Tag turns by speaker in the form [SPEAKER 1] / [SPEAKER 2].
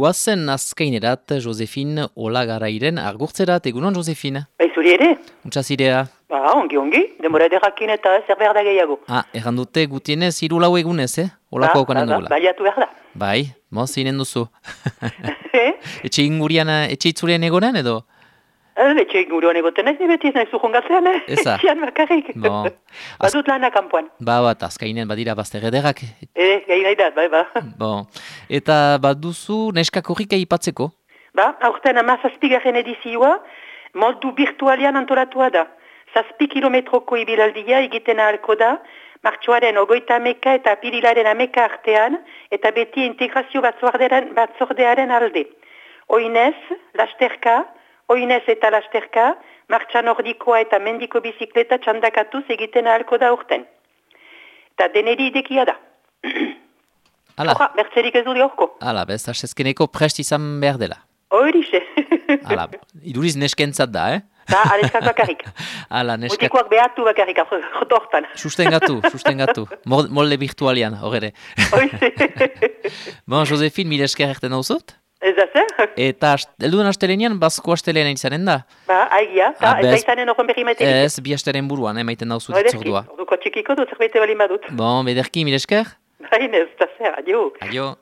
[SPEAKER 1] Guazen azkainerat, Josefin Olagarairen argurtzerat, egunon, Josefin?
[SPEAKER 2] Zuri ere?
[SPEAKER 1] Untxazirea?
[SPEAKER 2] Ongi, demora ederrakin eta zer behar da gehiago.
[SPEAKER 1] Errandute gutienez, 3-4 egunez, Olako okanen dugula.
[SPEAKER 2] Baliatu behar da.
[SPEAKER 1] Bai, zinen duzu. Etxe ingurian, etxe itzulean egonen edo?
[SPEAKER 2] Etxe ingurian egoten ez, beti ez nahi zuhongatzean,
[SPEAKER 1] Eza.
[SPEAKER 2] Etxean bakarrik. Badut lana kanpoan.
[SPEAKER 1] Bat, azkainen badira bazter ederrak.
[SPEAKER 2] Gai nahi da, bai.
[SPEAKER 1] Eta baduzu neska korrika ipatzeko?
[SPEAKER 2] Aurten 17. edizioa, modu virtualian antolatua da. 7 kilometroko ibilaldia egiten ahalko da, martxoaren 21 eta apirilaren 11 artean, eta beti integrazio batzordearen alde. Oinez eta lasterka, martxa nordikoa eta mendiko bizikleta txandakatuz egiten ahalko da urten. Eta deneri idekia da. Hora, bertzerik ez duri horko.
[SPEAKER 1] Bez, asezkeneko prest izan behar dela.
[SPEAKER 2] Horixe.
[SPEAKER 1] Iduriz neskentzat da,
[SPEAKER 2] Aleskak bakarrik.
[SPEAKER 1] Neskak.
[SPEAKER 2] Mutikoak behatu bakarrik, jotortan.
[SPEAKER 1] Sustengatu. Molde virtualian, horre. Josefin, mire esker erten dauzut?
[SPEAKER 2] Ez da zer?
[SPEAKER 1] Eta elduen astelenian, bazko astelean izanen da?
[SPEAKER 2] Aigia, eta izanen horren berri maiterik.
[SPEAKER 1] Ez, bi astelen buruan, maiten dauzut itzordua.
[SPEAKER 2] Orduko txikiko dut, zerbait ebalin badut.
[SPEAKER 1] Bederki, mire esker?
[SPEAKER 2] Baina ez da zer, adio.
[SPEAKER 1] Adio.